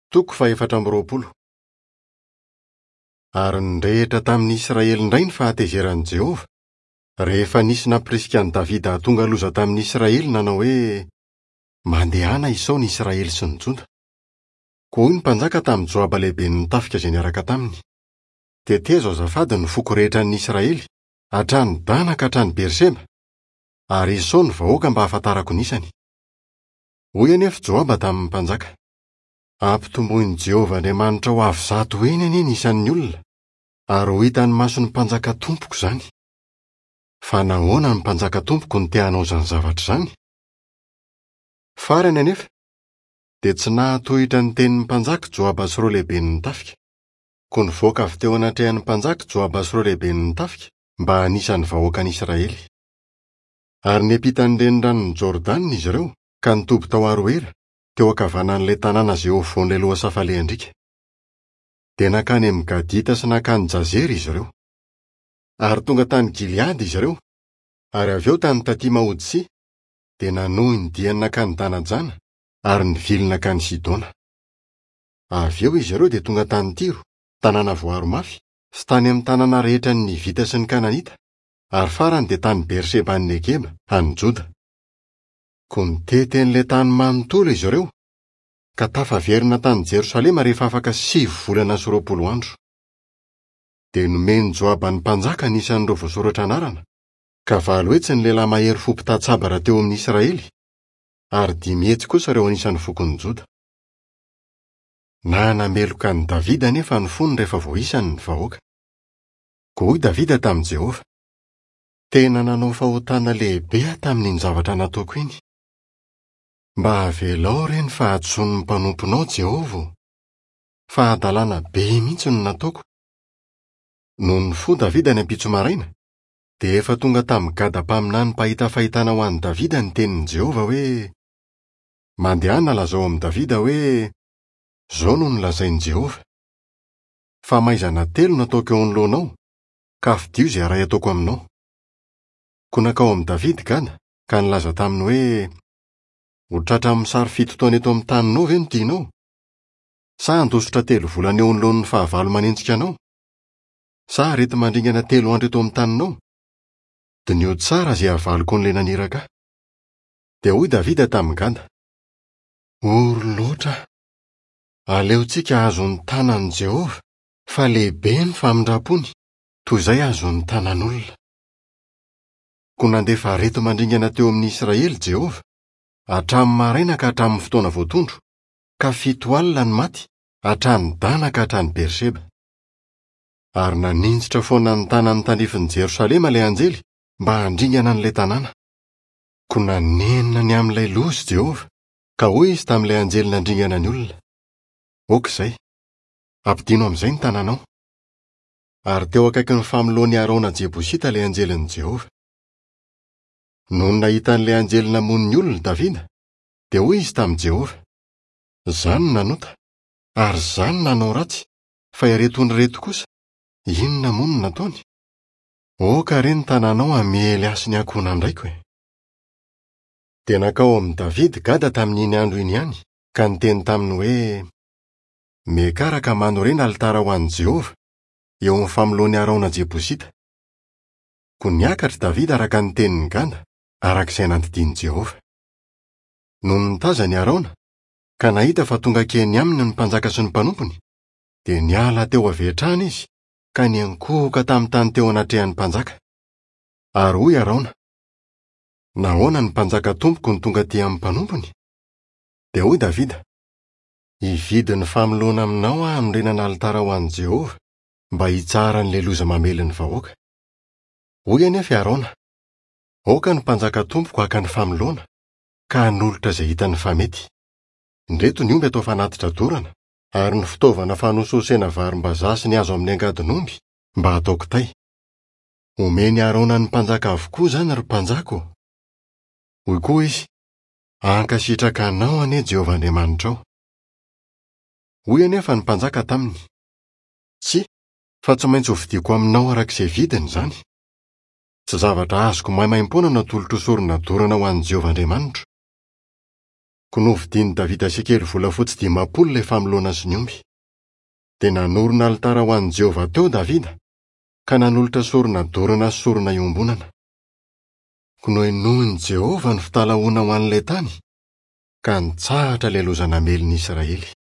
Toko fahefatra amby 20. Ary nirehitra tamin'ny Israely indray ny fahatezeran'i Jehovah, rehefa nisy nampirisika an'i Davida hahatonga loza tamin'ny Israely nanao hoe, Mandehana isao ny Israely sy ny Joda. Koa hoy ny mpanjaka tamin'i Joaba lehiben'ny tafika izay niaraka taminy, Tetezo azafady ny foko rehetra an'ny Israely, hatrany Dana ka hatrany Berseba, ary isao ny vahoaka mba hahafantarako ny isany. Hoy anefa Joaba tamin'ny mpanjaka, Ampitomboin'i Jehovah Andriamanitrao avo zato heny anie ny isan'ny olona, ary ho hitan'ny mason'ny mpanjaka tompoko izany. Fa nahoana ny mpanjaka tompoko no te hanao izany zavatra izany? Farany anefa, dia tsy nahatohitra ny tenin'ny mpanjaka Joaba sy ireo lehiben'ny tafika. Koa nivoaka avy teo anatrehan'ny mpanjaka Joaba sy ireo lehiben'ny tafika mba hanisa ny vahoakan'Israely. Ary niampita ny reniranon'i Jordana izy ireo ka nitoby tao Aroera, teo ankavanan'ilay tanàna izay eo afovoan'ilay lohasaha falehan-driaka. Dia nankany amin'ny Gadita sy nankany Jazera izy ireo. Ary tonga tany Gileada izy ireo, ary avy eo tany Tatima-Hodsia, dia nanohy ny diany nankany Dana-Jana ary nivily nankany Sidona. Avy eo izy ireo dia tonga tany Tyro, tanàna voaro mafy, sy tany amin'ny tanàna rehetra an'ny Hivita sy ny Kananita, ary farany dia tany Berseba any Negeba, any Joda. Koa nitety an'ilay tany manontolo izy ireo, ka tafaverina tany Jerosalema rehefa afaka sivy volana sy 20 andro. Dia nomen'i Joaba ny mpanjaka ny isan'ireo voasoratra anarana, ka 800 ny lehilahy mahery fo mpità-tsabatra teo amin'ny Israely, ary 500 kosa ireo anisan'ny fokon'i Joda. Nanameloka an'i Davida anefa ny fony rehefa voaisany ny vahoaka. Koa hoy Davida tamin'i Jehovah, Tena nanao fahotana lehibe aho tamin'iny zavatra nataoko iny. Mba avelao re ny fahadisoan'ny mpanomponao, Jehovah ô! Fahadalana be mihitsy no nataoko. Nony nifoha Davida ny ampitso maraina, dia efa tonga tamin'i Gada mpaminany mpahita fahitana ho an'i Davida ny tenin'i Jehovah hoe, Mandehana lazao amin'i Davida hoe, 'Izao no nolazain'i Jehovah, Famaizana telo no ataoko eo anoloanao, ka fidio izay iray ataoko aminao. Koa nankao amin'i Davida i Gada, ka nilaza taminy hoe, Ho tratran'ny mosary fito taona eto amin'ny taninao ve no tianao? Sa handositra telo volana eo anoloan'ny fahavalo manenjika anao? Sa areti-mandringana telo andro eto amin'ny taninao? Diniho tsara izay havaliko an'ilay naniraka ahy. Dia hoy Davida tamin'i Gada, Ory loatra aho! Aleontsika hahazo ny tanan'i Jehovah, fa lehibe ny famindram-pony, toy izay azon'ny tanan'olona. Koa nandefa areti-mandringana teo amin'ny Israely Jehovah, hatramin'ny maraina ka hatramin'ny fotoana voatondro, ka 70 ny maty, hatrany Dana ka hatrany Berseba. Ary naninjitra foana ny tanany tandrifin'i Jerosalema ilay anjely mba handringana an'ilay tanàna. Koa nanenina ny amin'ilay loza Jehovah, ka hoy izy tamin'ilay anjely nandringana ny olona, Aoka izay! Ampidino amin'izay ny tananao. Ary teo akaikin'ny famoloan'i Araona Jebosita ilay anjelin'i Jehovah. Nony nahita an'ilay anjely namono ny olona Davida, dia hoy izy tamin'i Jehovah, Izaho no nanota, ary izaho no nanao ratsy, fa ireto ondry ireto kosa, inona moa no nataony? Aoka re ny tananao hamely ahy sy ny ankohonan-draiko e! Dia nankao amin'i Davida Gada tamin'iny andro iny ihany, ka niteny taminy hoe, Miakara ka manorena alitara ho an'i Jehovah, eo amin'ny famoloan'i Araona Jebosita. Koa niakatra i Davida araka ny tenin'i Gada, araka izay nandidian'i Jehovah. Nony nitazana i Araona, ka nahita fa tonga hankeny aminy ny mpanjaka sy ny mpanompony, dia niala teo avy hatrany izy ka niankohoka tamin'ny tany teo anatrehan'ny mpanjaka. Ary hoy Araona, Nahoana ny mpanjaka tompoko no tonga aty amin'ny mpanompony? Dia hoy Davida, Hividy ny famoloana aminao aho hanorenana alitara ho an'i Jehovah, mba hitsaharan'ilay loza mamely ny vahoaka. Hoy anefa i Araona, Aoka ny mpanjaka tompoko haka ny famoloana, ka hanolotra izay hitany fa mety. Indreto ny omby atao fanatitra dorana, ary ny fitaovana fanosihosena varimbazaha sy ny hazo amin'ny angadin'omby mba hatao kitay. Homen'i Araona ny mpanjaka avokoa izany, ry mpanjaka ô! Hoy koa izy, Hankasitraka anao anie Jehovah Andriamanitrao. Hoy anefa ny mpanjaka taminy, Tsia, fa tsy maintsy hovidiako aminao araka izay vidiny izany. Tsy zavatra azoko maimaimpoana no atolotro ho sorona dorana ho an'i Jehovah Andriamanitro. Koa novidian'i Davida sekely volafotsy 50 ilay famoloana sy ny omby. Dia nanorina alitara ho an'i Jehovah teo Davida, ka nanolotra sorona dorana sy sorona iombonana. Koa nohenoin'i Jehovah ny fitalahoana ho an'ilay tany, ka nitsahatra ilay loza namely ny Israely.